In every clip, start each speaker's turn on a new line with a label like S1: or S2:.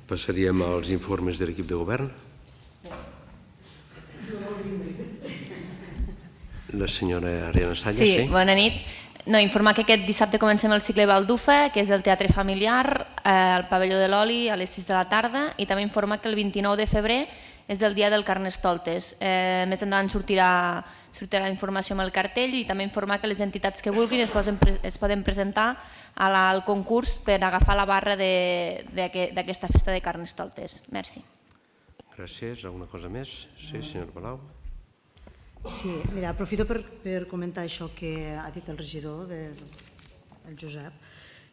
S1: Passaríem als informes de l'equip de govern. La senyora Ariana Salla.
S2: Sí, bona nit. Informar que aquest dissabte comencem el cicle Baldufa, que és el teatre familiar, al pavelló de l'Oli a les 6 de la tarda, i també informar que el 29 de febrer és el dia del Carnestoltes. Més endavant sortirà informació amb el cartell, i també informar que les entitats que vulguin es poden presentar al concurs per agafar la barra d'aquesta festa de Carnestoltes. Merci.
S1: Gràcies. Alguna cosa més? Sí, senyor Palau.
S3: Sí, mira, aprofito per comentar això que ha dit el regidor, el Josep,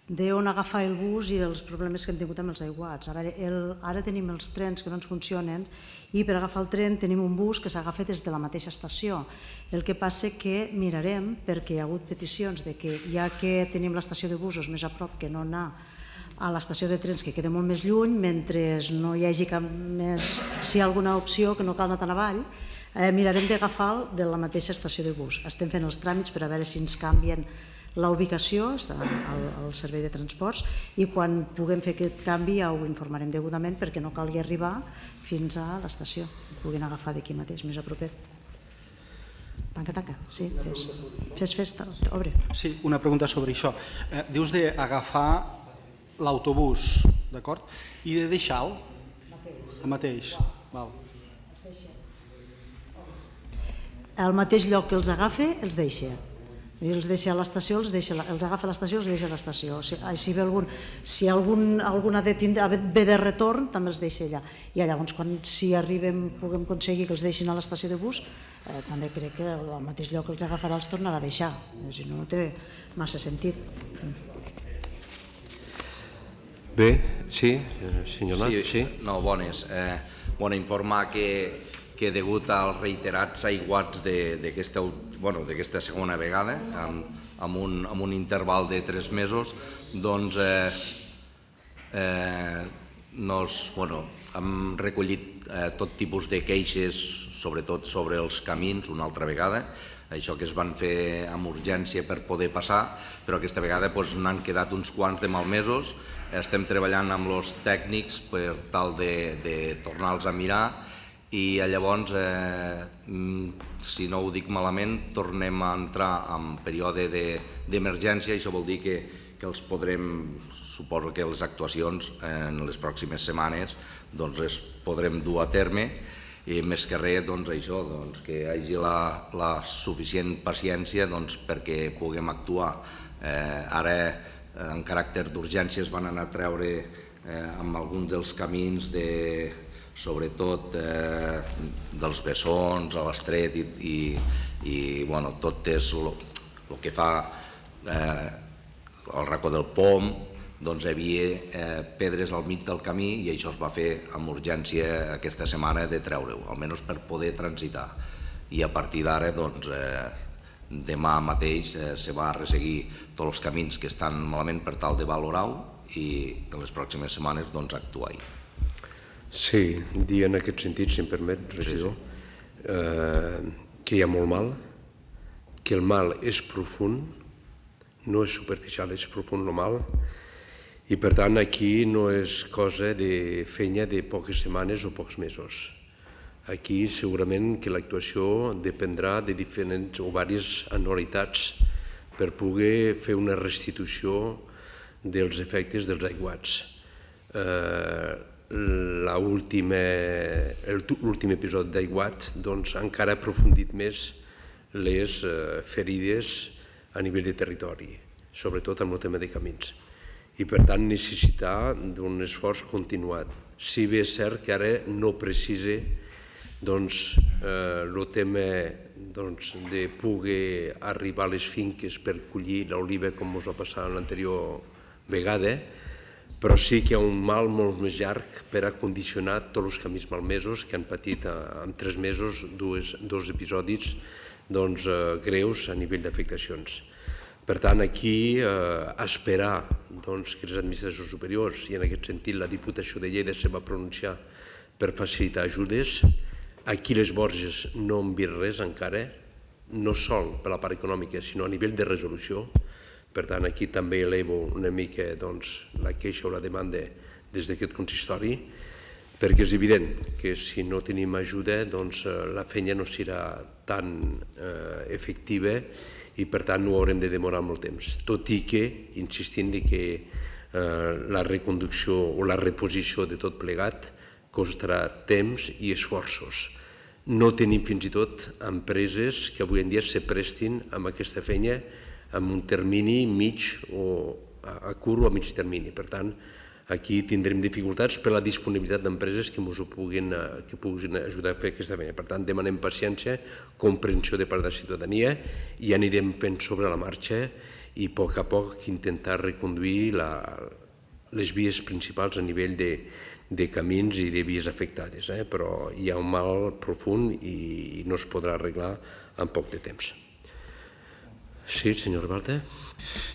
S3: d'on agafar el bus i els problemes que hem tingut amb els aiguats. A veure, ara tenim els trens que no ens funcionen i per agafar el tren tenim un bus que s'agafa des de la mateixa estació. El que passa que mirarem, perquè hi ha hagut peticions de que ja que tenim l'estació de busos més a prop, que no anar a l'estació de trens que queda molt més lluny, mentre no hi hagi cap més, si hi ha alguna opció que no cal anar tan avall, mirarem d'agafar de la mateixa estació de bus. Estem fent els tràmits per a veure si ens canvien la ubicació, està al servei de transports, i quan puguem fer aquest canvi ja ho informarem degudament perquè no calgui arribar fins a l'estació, puguin agafar d'aquí mateix, més a propet. Tanca. Sí, fes festa, obre.
S4: Sí, una pregunta sobre això. Dius d'agafar l'autobús, d'acord? I de deixar-lo? El mateix. Val.
S3: Al mateix lloc que els agafa, els deixa. Els deixa a l'estació, els agafa a l'estació, els deixa a l'estació. Si algun ha ve de retorn, també els deixa allà. I llavors, si arribem, puguem aconseguir que els deixin a l'estació de bus, també crec que al mateix lloc que els agafarà els tornarà a deixar. Si no, no té massa sentit.
S1: Bé, sí, senyor Nat, sí.
S5: No, bones. Informar que degut als reiterats aiguats d'aquesta segona vegada, amb un interval de 3 mesos, doncs hem recollit tot tipus de queixes, sobretot sobre els camins, una altra vegada, això que es van fer amb urgència per poder passar, però aquesta vegada n'han quedat uns quants de malmesos. Estem treballant amb els tècnics per tal de tornar-los a mirar, i llavors, si no ho dic malament, tornem a entrar en període d'emergència, i això vol dir que els podrem, suposo que les actuacions en les pròximes setmanes les podrem dur a terme, i més que res això, que hi hagi la suficient paciència perquè puguem actuar. Ara, en caràcter d'urgència, es van anar a treure amb alguns dels camins sobretot dels Bessons a l'Estret, i tot és el que fa el racó del Pom, hi havia pedres al mig del camí, i això es va fer amb urgència aquesta setmana de treure-ho, almenys per poder transitar. I a partir d'ara, demà mateix se va resseguir tots els camins que estan malament per tal de valorar-ho, i en les pròximes setmanes actuar-hi.
S1: Sí, dir en aquest sentit, si em permet, regidor, que hi ha molt mal, que el mal és profund, no és superficial, és profund el mal, i per tant aquí no és cosa de feina de poques setmanes o pocs mesos. Aquí segurament que l'actuació dependrà de diferents o diverses anualitats per poder fer una restitució dels efectes dels aiguats. L'últim episodi d'aiguat encara ha aprofundit més les ferides a nivell de territori, sobretot amb el tema de camins, i per tant necessitar d'un esforç continuat. Si bé és cert que ara no precisa el tema de poder arribar a les finques per collir l'oliva com ens va passar l'anterior vegada, però sí que hi ha un mal molt més llarg per a condicionar tots els camins malmesos que han patit en 3 mesos dos episodis greus a nivell d'afectacions. Per tant, aquí esperar que les administracions superiors, i en aquest sentit la Diputació de Lleida se va pronunciar per facilitar ajudes, aquí les Borges no han vist res encara, no sol per la part econòmica, sinó a nivell de resolució. Per tant, aquí també elevo una mica la queixa o la demanda des d'aquest consistori, perquè és evident que si no tenim ajuda doncs la feina no serà tan efectiva i per tant no haurem de demorar molt temps, tot i que insistint que la reconducció o la reposició de tot plegat costarà temps i esforços. No tenim fins i tot empreses que avui en dia se prestin amb aquesta feina en un termini mig o a curt o a mig termini. Per tant, aquí tindrem dificultats per la disponibilitat d'empreses que ens puguin ajudar a fer aquesta feina. Per tant, demanem paciència, comprensió de part de la ciutadania i anirem fent sobre la marxa i a poc intentar reconduir les vies principals a nivell de camins i de vies afectades, però hi ha un mal profund i no es podrà arreglar en poc de temps. Sí, senyor Balta?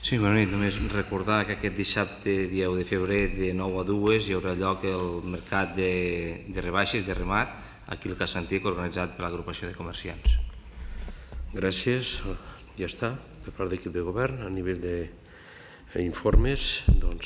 S6: Sí, bona nit. Només recordar que aquest dissabte, dia 1 de febrer, de 9 a 2, hi haurà lloc el mercat de rebaixes, de remat, aquí al Cas Antic, organitzat per l'agrupació de comerciants.
S1: Gràcies. Ja està. Per part de l'equip de govern, a nivell d'informes, doncs